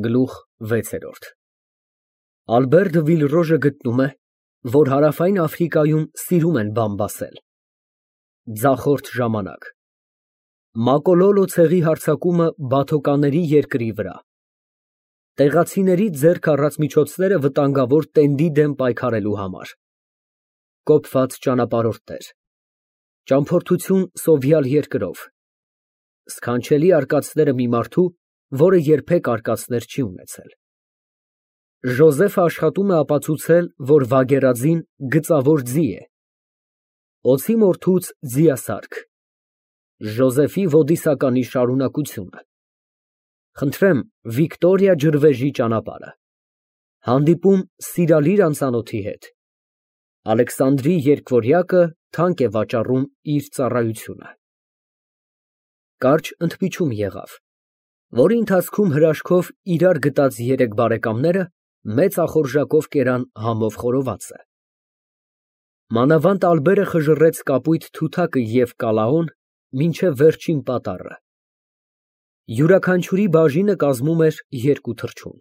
Գլուխ 6 Ալբերտ Վիլրոժը գտնում է, որ Հարավային Աֆրիկայում սիրում են բամբասել։ Ձախորդ ժամանակ Մակոլոլո ցեղի հարձակումը բաթոկանների երկրի վրա։ Տեղացիների ձեռք առած միջոցները վտանգավոր տենդի դեմ պայքարելու համար։ Կոփված ճանապարհորդներ։ Ճամփորդություն սովյալ երկրով։ Սքանչելի արկածները մի մարդու, որը երբեք արկածներ չի ունեցել։ Ժոզեֆը աշխատում է ապացուցել, որ Վագերաձին գծավոր ձի է։ Օձի մորթուց ձիասարք։ Ժոզեֆի ոդիսականի շարունակությունը։ Խնդրեմ Վիկտորիա ջրվեժի ճանապարհը։ Հանդիպում սիրալիր անծանոթի հետ։ Ալեքսանդրի երկվորյակը թանկ է վաճառում իր ծառայությունը։ Կարճ ընդմիջում եղավ, որի ընթացքում հրաշքով իրար գտած երեք բարեկամները մեծ ախորժակով կերան համով խորովածը։ Մանավանդ Ալբերը խժռեց կապույտ թութակը և կալաոն մինչև վերջին պատառը։ Յուրաքանչյուրի բաժինը կազմում էր 2 թռչուն։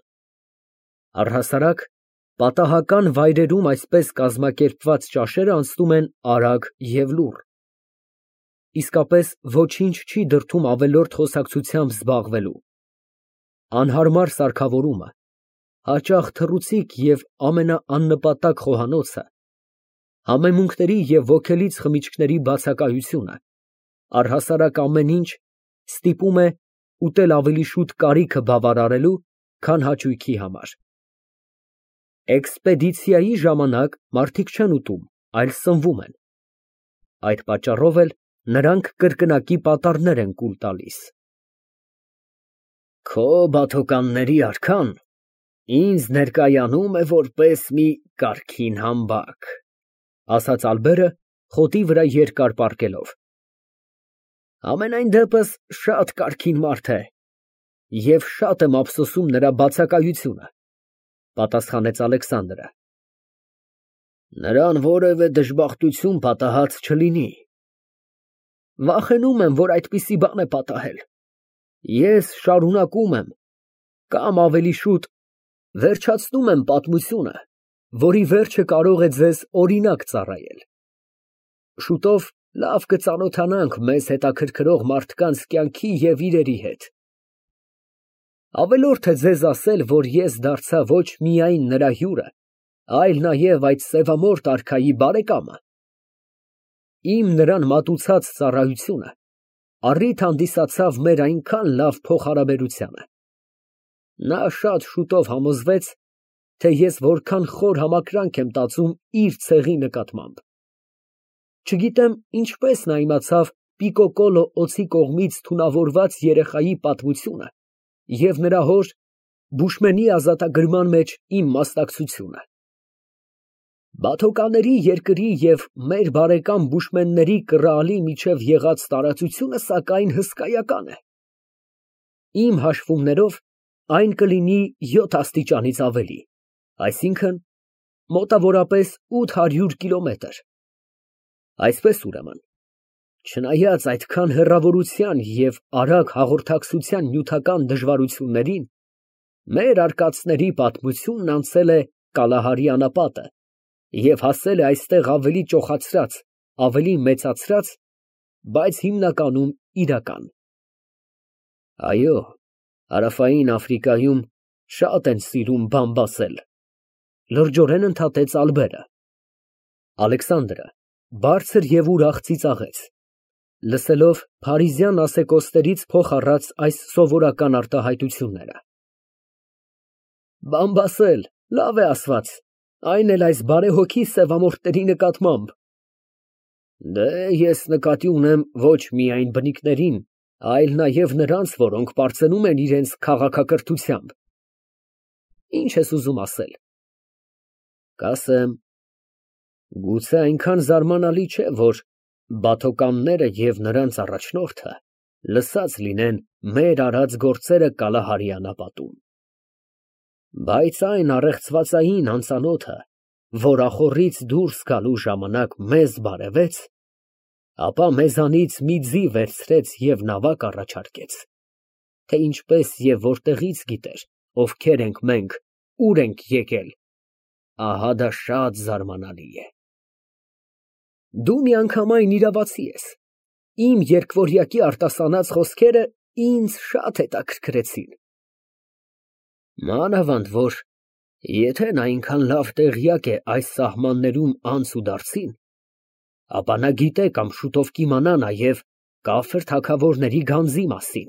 Առհասարակ, պատահական վայրերում այսպես կազմակերպված ճաշերը անցնում են արագ և լուռ։ Իսկապես ոչինչ չի դրդում ավելորդ խոսակցությամբ զբաղվելու։ Անհարմար սարքավորումը, հաճախ թռուցիկ և ամենաաննպատակ խոհանոցը, համեմունքների և ոգելից խմիչքների բացակայությունը, առհասարակ ամեն ինչ ստիպում է ուտել ավելի շուտ կարիքը բավարարելու, քան հաճույքի համար։ Էքսպեդիցիայի ժամանակ մարդիկ չեն ուտում, այլ սնվում են։ Այդ պատճառով էլ նրանք կրկնակի պատառներ են կուլ տալիս։ Քո բաթոկանների արքան ինձ ներկայանում է որպես մի կարգին համբակ, ասաց Ալբերը խոտի վրա երկար պառկելով։ Համենայն դեպս շատ կարգին մարդ է, և շատ եմ ափսոսում նրա բացակայությունը, պատասխանեց Ալեքսանդրը։ Նրան որևէ դժբախտություն պատահած չլինի։ Վախենում եմ, որ այդպիսի բան է պատահել։ Ես շարունակում եմ, կամ ավելի շուտ վերջացնում եմ պատմությունը, որի վերջը կարող է ձեզ օրինակ ծառայել։ Շուտով լավ կծանոթանանք մեզ հետաքրքրող մարդկանց կյանքի և իրերի հետ։ Ավելորդ է ձեզ ասել, որ ես դարձա ոչ միայն նրա հյուրը, այլ նաև այդ սևամորթ արքայի բարեկամը։ Իմ նրան մատուցած ծառայությունը առիթ հանդիսացավ մեր այնքան լավ փոխհարաբերությանը։ Նա շատ շուտով համոզվեց, թե ես որքան խոր համակրանք եմ տածում իր ցեղի նկատմամբ։ Չգիտեմ ինչպես նա իմացավ Պիկոկոլո օձի կողմից թունավորված երեխայի պատմությունը և նրա հոր Բուշմենի ազատագրման մեջ իմ մասնակցությունը։ Բաթոկաների երկրի և մեր բարեկամ բուշմենների կռալի միջև եղած տարածությունը, սակայն, հսկայական է։ Իմ հաշվումներով այն կլինի 7 աստիճանից ավելի, այսինքն՝ մոտավորապես 800 կիլոմետր։ Այսպես ուրեմն, չնայած այդքան հեռավորության և արագ հաղորդակցության նյութական դժվարություններին, մեր արկածների պատմությունն անցել է Կալահարի անապատը և հասել է այստեղ ավելի ճոխացրած, ավելի մեծացրած, բայց հիմնականում իրական։ Այո, Հարավային Աֆրիկայում շատ են սիրում բամբասել, լրջորեն ընդհատեց Ալբերը։ Ալեքսանդրը բարձր և ուրախ ծիծաղեց, լսելով փարիզյան ասեկոսներից փոխ առած այս սովորական արտահայտությունները։ Բամբասել, լավ է ասված, այն էլ այս բարեհոգի սևամորթների նկատմամբ։ Դե, ես նկատի ունեմ ոչ միայն բնիկներին, այլ նաև նրանց, որոնք պարծենում են իրենց քաղաքակրթությամբ։ Ինչ ես ուզում ասել։ Կասեմ, գուցե այնքան զարմանալի չէ, որ բաթոկանները և նրանց առաջնորդը լսած լինեն մեր արած գործերը Կալահարի անապատում։ Բայց այն առեղծվածային անծանոթը, որ ախոռից դուրս գալու ժամանակ մեզ բարևեց, ապա մեզանից մի ձի վերցրեց և նավակ առաջարկեց, թե ինչպես և որտեղից գիտեր, ովքեր ենք մենք, ուր ենք եկել, ահա դա շատ զարմանալի է։ Դու միանգամայն իրավացի ես։ Իմ երկվորյակի արտասանած խոսքերը ինձ շատ հետաքրքրեցին։ Մանավանդ որ եթե նա այնքան լավ տեղյակ է այս սահմաններում անց ու դարձին, ապա նա գիտե կամ շուտով կիմանա նաև կաֆիր թագավորների գանձի մասին։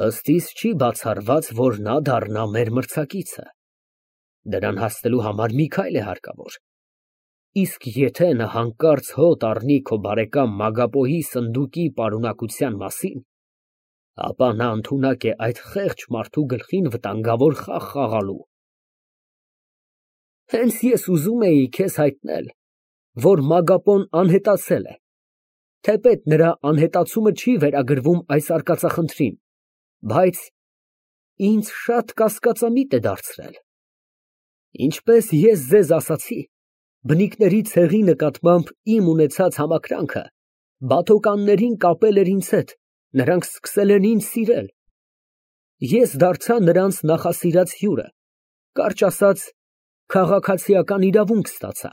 Ըստ իս չի բացառված, որ նա դառնա մեր մրցակիցը։ Դրան հասնելու համար մի քայլ է հարկավոր։ Իսկ եթե նա հանկարծ հոտ առնի քո բարեկամ Մագապոյի սնդուկի պարունակության մասին, ապա նա ընդունակ է այդ խեղճ մարդու գլխին վտանգավոր խաղ խաղալու։ Հենց ես ուզում էի քեզ հայտնել, որ Մագապոն անհետացել է, թեպետ նրա անհետացումը չի վերագրվում այս արկածախնդրին, բայց ինձ շատ կասկածամիտ է դարձրել։ Ինչպես ես ձեզ ասացի, բնիկների ցեղի նկատմամբ իմ ունեցած համակրանքը բաթոկաններին կապել էր ինձ հետ, նրանք սկսել են ինձ սիրել։ Ես դարձա նրանց նախասիրած հյուրը, կարճ ասած, քաղաքացիական իրավունք ստացա։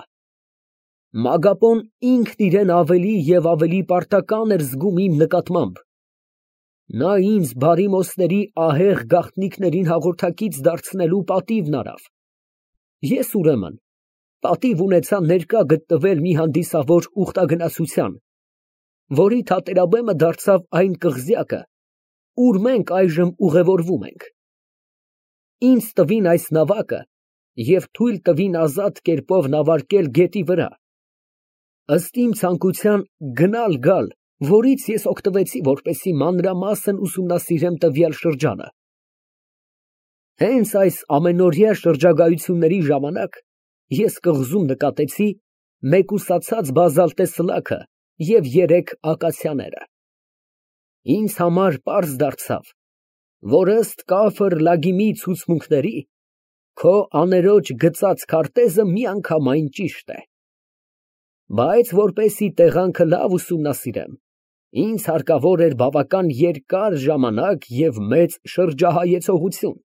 Մագապոն ինքն իրեն ավելի և ավելի պարտական էր զգում իմ նկատմամբ։ Նա ինձ բարիմոսների ահեղ գաղտնիքներին հաղորդակից դարձնելու պատիվն արավ։ Ես ուրեմն պատիվ ունեցա ներկա գտնվել մի հանդիսավոր ուխտագնացության, որի թատերաբեմը դարձավ այն կղզյակը, ուր մենք այժմ ուղևորվում ենք։ Ինձ տվին այս նավակը և թույլ տվին ազատ կերպով նավարկել գետի վրա։ Ըստ իմ ցանկության գնալ֊գալ, որից ես օգտվեցի, որպեսզի մանրամասն ուսումնասիրեմ տվյալ շրջանը։ Հենց այս ամենօրյա շրջագայությունների ժամանակ ես կղզում նկատեցի մեկուսացած բազալտե սլաքը և 3 ակացիաները։ Ինձ համար պարզ դարձավ, որ ըստ Կաֆր Լագիմի ցուցմունքների, քո աներոջ գծած քարտեզը միանգամայն ճիշտ է։ Բայց որպեսզի տեղանքը լավ ուսումնասիրեմ, ինձ հարկավոր էր բավական երկար ժամանակ և մեծ շրջահայեցողություն։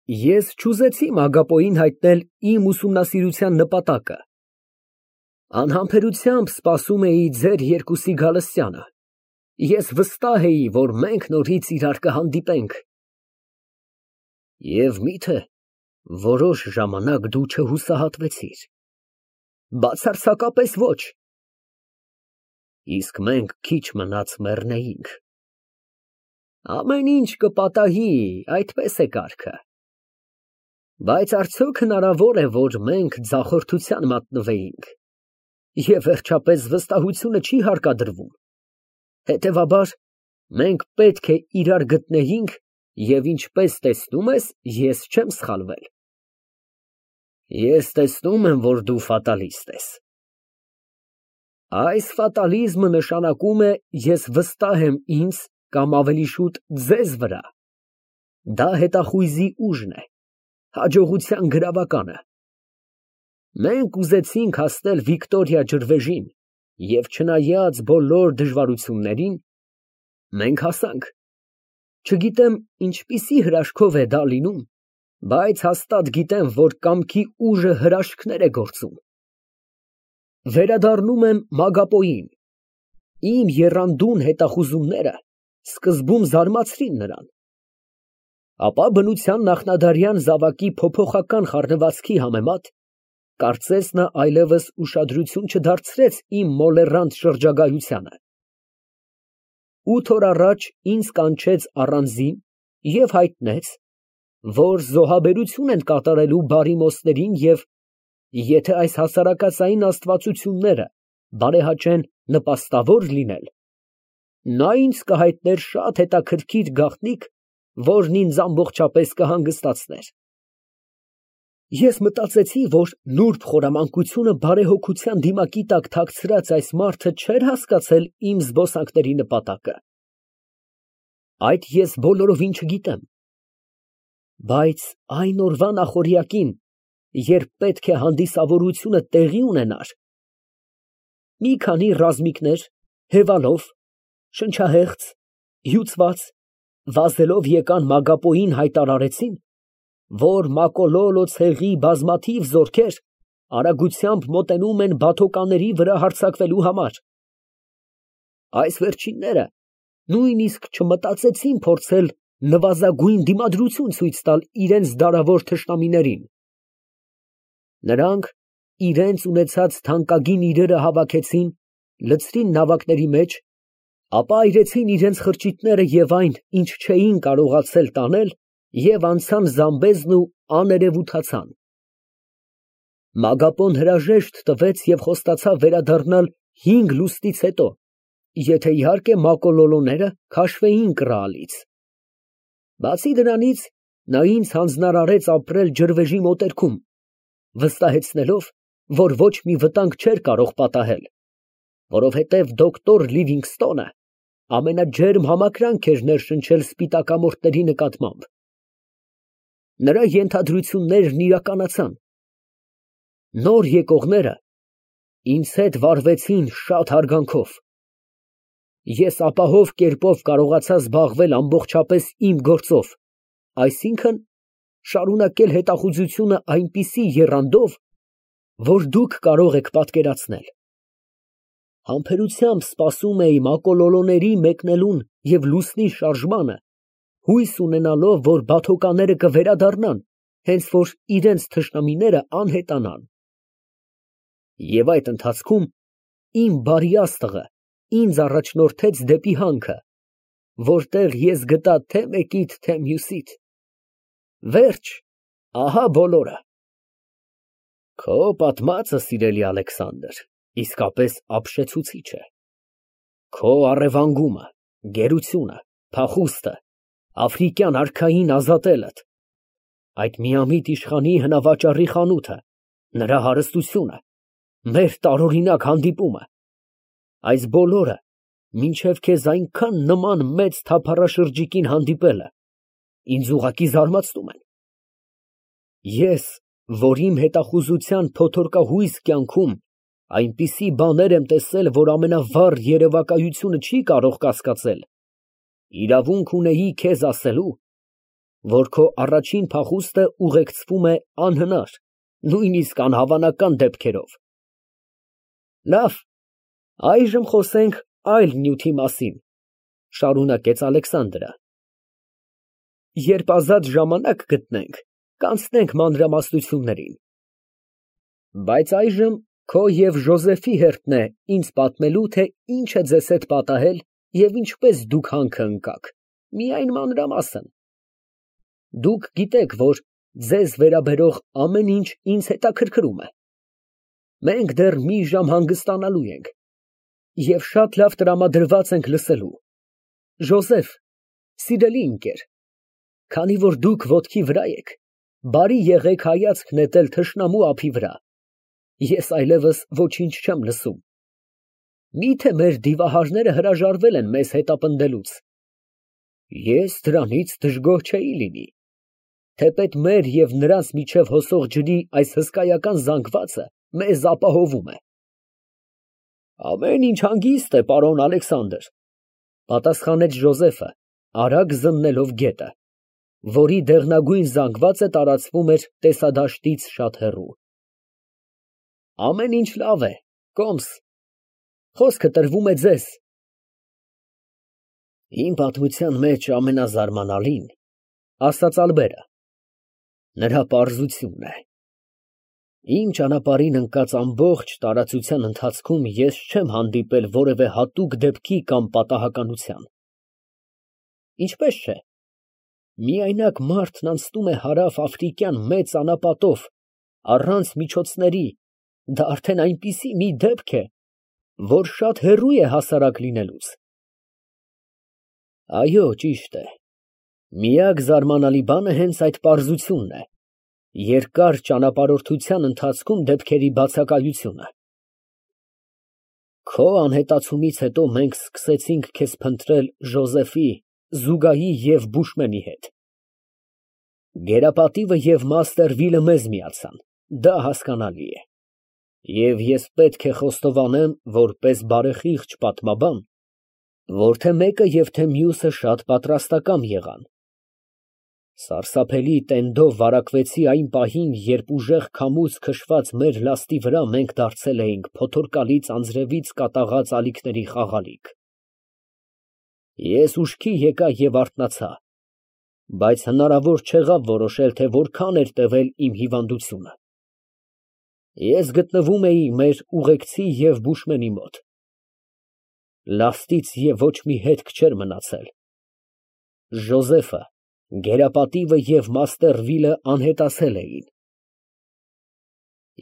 Ես չուզեցի Մագապոյին հայտնել իմ ուսումնասիրության նպատակը։ Անհամբերությամբ սպասում էի ձեր երկուսի գալստյանը։ Ես վստահ էի, որ մենք նորից իրար կհանդիպենք։ Եվ միթե որոշ ժամանակ դու չհուսահատվեցիր։ Բացարձակապես ոչ։ Իսկ մենք քիչ մնաց մեռնեինք։ Ամեն ինչ կպատահի, այդպես է կարգը։ Բայց արդյոք հնարավոր է, որ մենք ձախորդության մատնվեինք։ Եվ վերջապես վստահությունը չի հարկադրվում։ Հետևաբար, մենք պետք է իրար գտնեինք և ինչպես տեսնում ես, ես չեմ սխալվել։ Ես տեսնում եմ, որ դու ֆատալիստ ես։ Այս ֆատալիզմը նշանակում է ես վստահ եմ ինձ կամ ավելի շուտ ձեզ վրա։ Դա հետախույզի ուժն է, հաջողության գրավականը։ Մենք ուզեցինք հասնել Վիկտորիա ջրվեժին և չնայած բոլոր դժվարություններին, մենք հասանք։ Չգիտեմ ինչպիսի հրաշքով է դա լինում, բայց հաստատ գիտեմ, որ կամքի ուժը հրաշքներ է գործում։ Վերադառնում եմ Մագապոյին։ Իմ եռանդուն հետախուզումները սկզբում զարմացրին նրան։ Ապա բնության նախնադարյան զավակի փոփոխական խառնվածքի համեմատ, կարծես նա այլևս ուշադրություն չդարձրեց իմ մոլեռանդ շրջագայությանը։ 8 օր առաջ ինձ կանչեց առանձին և հայտնեց, որ զոհաբերություն են կատարելու բարիմոսներին և եթե այս հասարակածային աստվածությունները բարեհաճեն նպաստավոր լինել, նա ինձ կհայտներ շատ հետաքրքիր գաղտնիք, որն ինձ ամբողջապես կհանգստացներ։ Ես մտածեցի, որ նուրբ խորամանկությունը բարեհոգության դիմակի տակ թաքցրած այս մարդը չէր հասկացել իմ զբոսանքների նպատակը։ Այդ ես բոլորովին չգիտեմ։ Բայց այն օրվա նախօրյակին, երբ պետք է հանդիսավորությունը տեղի ունենար, մի քանի ռազմիկներ, հևալով, շնչահեղձ, հյուծված, վազելով եկան Մագապոյին հայտարարեցին, որ Մակոլոլո ցեղի բազմաթիվ զորքեր արագությամբ մոտենում են բաթոկանների վրա հարձակվելու համար։ Այս վերջինները նույնիսկ չմտածեցին փորձել նվազագույն դիմադրություն ցույց տալ իրենց դարավոր թշնամիներին։ Նրանք իրենց ունեցած թանկագին իրերը հավաքեցին, լցրին նավակների մեջ, ապա այրեցին իրենց խրճիթները և այն, ինչ չէին կարողացել տանել, և անցան Զամբեզն ու աներևութացան։ Մագապոն հրաժեշտ տվեց և խոստացավ վերադառնալ 5 լուսնից հետո, եթե իհարկե Մակոլոլոները քաշվեին կռահալից։ Բացի դրանից, նա ինձ հանձնարարեց ապրել ջրվեժի մոտերքում, վստահեցնելով, որ ոչ մի վտանգ չէր կարող պատահել, որովհետև դոկտոր Լիվինգստոնը ամենաջերմ համակրանք էր ներշնչել սպիտակամորթների նկատմամբ։ Նրա ենթադրություններն իրականացան։ Նոր եկողները ինձ հետ վարվեցին շատ հարգանքով։ Ես ապահով կերպով կարողացա զբաղվել ամբողջապես իմ գործով, այսինքն շարունակել հետախուզությունը այնպիսի եռանդով, որ դուք կարող եք պատկերացնել։ Համբերությամբ սպասում էի Մակոլոլոների մեկնելուն և լուսնի շարժմանը, հույս ունենալով, որ բաթոկաները կվերադառնան, հենց որ իրենց թշնամիները անհետանան։ Եվ այդ ընթացքում իմ բարի աստղը ինձ առաջնորդեց դեպի հանքը, որտեղ ես գտա թե մեկիդ, թե մյուսիդ։ Վերջ, ահա բոլորը։ Քո պատմածը, սիրելի Ալեքսանդր, իսկապես ապշեցուցիչ է։ Քո առևանգումը, գերությունը, փախուստը, աֆրիկյան արքային ազատելդ, այդ միամիտ իշխանի հնավաճառի խանութը, նրա հարստությունը, մեր տարօրինակ հանդիպումը, այս բոլորը մինչև քեզ այնքան նման մեծ թափառաշրջիկին հանդիպելը ինձ ուղղակի զարմացնում են։ Ես, որ իմ հետախուզության փոթորկահույս կյանքում այնպիսի բաներ եմ տեսել, որ ամենավառ երևակայությունը չի կարող կասկածել, իրավունք ունեի քեզ ասելու, որ քո առաջին փախուստը ուղեկցվում է անհնար, նույնիսկ անհավանական դեպքերով։ Լավ, այժմ խոսենք այլ նյութի մասին, շարունակեց Ալեքսանդրը։ Երբ ազատ ժամանակ գտնենք, կանցնենք մանրամասնություններին։ Բայց այժմ քո և Ժոզեֆի հերթն է ինձ պատմելու, թե ինչ է ձեզ հետ պատահել և ինչպես դուք հանքը ընկաք, միայն մանրամասն։ Դուք գիտեք, որ ձեզ վերաբերող ամեն ինչ ինձ հետաքրքրում է։ Մենք դեռ մի ժամ հանգստանալու ենք և շատ լավ տրամադրված ենք լսելու։ Ժոզեֆ, սիրելի ընկեր, քանի որ դուք ոտքի վրա եք, բարի եղեք հայացք նետել թշնամու ափի վրա, ես այլևս ոչինչ չեմ լսում։ Մի՞թե մեր դիվահարները հրաժարվել են մեզ հետապնդելուց։ Ես դրանից դժգոհ չէի լինի, թեպետ մեր և նրանց միջև հոսող ջրի այս հսկայական զանգվածը մեզ ապահովում է։ Ամեն ինչ հանգիստ է, պարոն Ալեքսանդր, պատասխանեց Ժոզեֆը, արագ զննելով գետը, որի դեղնագույն զանգվածը տարածվում էր տեսադաշտից շատ հեռու։ Ամեն ինչ լավ է, կոմս, խոսքը տրվում է ձեզ։ Իմ պատմության մեջ ամենազարմանալին, ասաց Ալբերը, նրա պարզությունն է։ Իմ ճանապարհին ընկած ամբողջ տարածության ընթացքում ես չեմ հանդիպել որևէ հատուկ դեպքի կամ պատահականության։ Ինչպես չէ։ Միայնակ մարդն անցնում է հարավ աֆրիկյան մեծ անապատով, առանց միջոցների, դա արդեն այնպիսի մի դեպք է, որ շատ հեռու է հասարակ լինելուց։ Այո, ճիշտ է։ Միակ զարմանալի բանը հենց այդ պարզությունն է, երկար ճանապարհորդության ընթացքում դեպքերի բացակայությունը։ Քո անհետացումից հետո մենք սկսեցինք քեզ փնտրել Ժոզեֆի, Զուգայի և Բուշմենի հետ։ Գերապատիվը և Մաստերվիլը մեզ միացան, դա հասկանալի է։ Եվ ես պետք է խոստովանեմ, որպես բարեխիղճ պատմաբան, Որ թե մեկը և թե մյուսը շատ պատրաստակամ եղան։ Սարսափելի տենդով վարակվեցի այն պահին, երբ ուժեղ քամուց քշված մեր լաստի վրա մենք դարձել էինք փոթորկալից անձրևից կատաղած ալիքների խաղալիք։ Ես ուշքի եկա և արթնացա, բայց հնարավոր չեղավ որոշել, թե որքան էր տևել իմ հիվանդությունը։ Ես գտնվում էի մեր ուղեկցի և բուշմենի մոտ։ Լաստից և ոչ մի հետք չէր մնացել։ Ժոզեֆը, գերապատիվը և Մաստերվիլը անհետացել էին։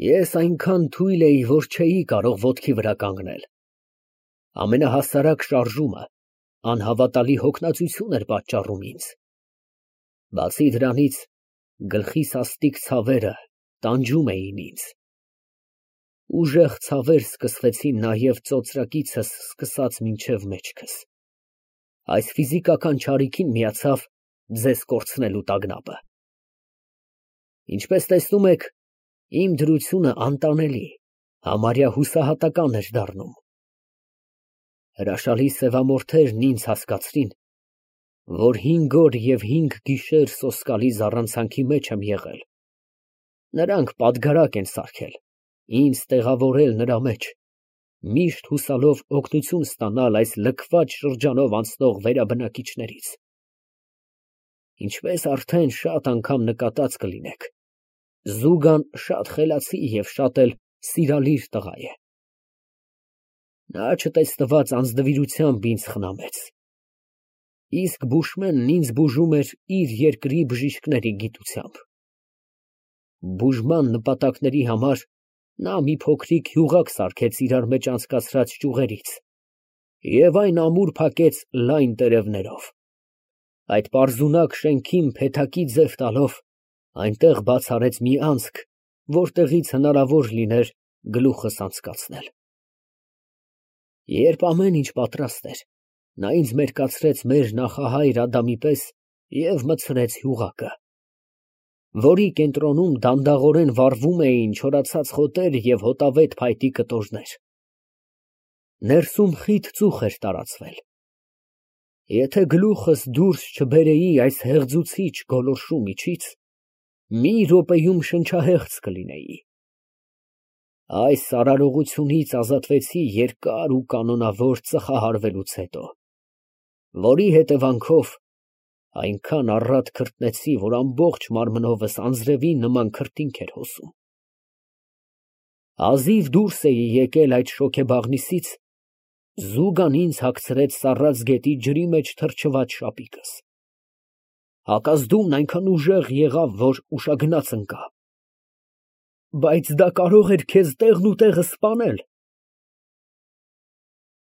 Ես այնքան թույլ էի, որ չէի կարող ոտքի վրա կանգնել։ Ամենահասարակ շարժումը անհավատալի հոգնածություն էր պատճառում ինձ։ Բացի դրանից, գլխի սաստիկ ցավերը տանջում էին ինձ։ Ուժեղ ցավեր սկսվեցին նաև ծոծրակիցս սկսած մինչև մեջքս։ Այս ֆիզիկական չարիքին միացավ ձեզ կորցնելու տագնապը։ Ինչպես տեսնում եք, իմ դրությունը անտանելի, համարյա հուսահատական էր դառնում։ Հրաշալի սևամորթերն ինձ հասկացրին, որ 5 օր և 5 գիշեր սոսկալի զառանցանքի մեջ եմ եղել։ Նրանք պատգարակ են սարքել, ինձ տեղավորել նրա մեջ, միշտ հուսալով օգնություն ստանալ այս լքված շրջանով անցնող վերաբնակիչներից։ Ինչպես արդեն շատ անգամ նկատած կլինեք, Զուգան շատ խելացի և շատ էլ սիրալիր տղա է։ Նա չտեսնված անձնվիրությամբ ինձ խնամեց, իսկ բուշմենն ինձ բուժում էր իր երկրի բժիշկների գիտությամբ։ Բուժման նպատակների համար նա մի փոքրիկ յուղակ սարքեց իրար մեջ անցկացրած ճյուղերից և այն ամուր փակեց լայն տերևներով։ Այդ պարզունակ շենքին փեթակի ձև տալով, այնտեղ բաց արեց մի անցք, որտեղից հնարավոր լիներ գլուխս անցկացնել։ Երբ ամեն ինչ պատրաստ էր, նա ինձ մերկացրեց մեր նախահայր Ադամի պես և մտցրեց յուղակը, որի կենտրոնում դանդաղորեն վառվում էին չորացած խոտեր և հոտավետ փայտի կտորներ։ Ներսում խիտ ծուխ էր տարածվել։ Եթե գլուխս դուրս չբերեի այս հեղձուցիչ գոլորշու միջից, մի րոպեում շնչահեղձ կլինեի։ Այս արարողությունից ազատվեցի երկար ու կանոնավոր ծխահարվելուց հետո, որի հետևանքով այնքան առաջ քրտնեցի, որ ամբողջ մարմնովս անձրևի նման քրտինք էր հոսում։ Հազիվ դուրս էի եկել այդ շոգեբաղնիսից, Զուգան ինձ հագցրեց սառած գետի ջրի մեջ թրջված շապիկս։ Հակազդումն այնքան ուժեղ եղավ, որ ուշագնաց ընկա։ Բայց դա կարող էր քեզ տեղն ու տեղը սպանել։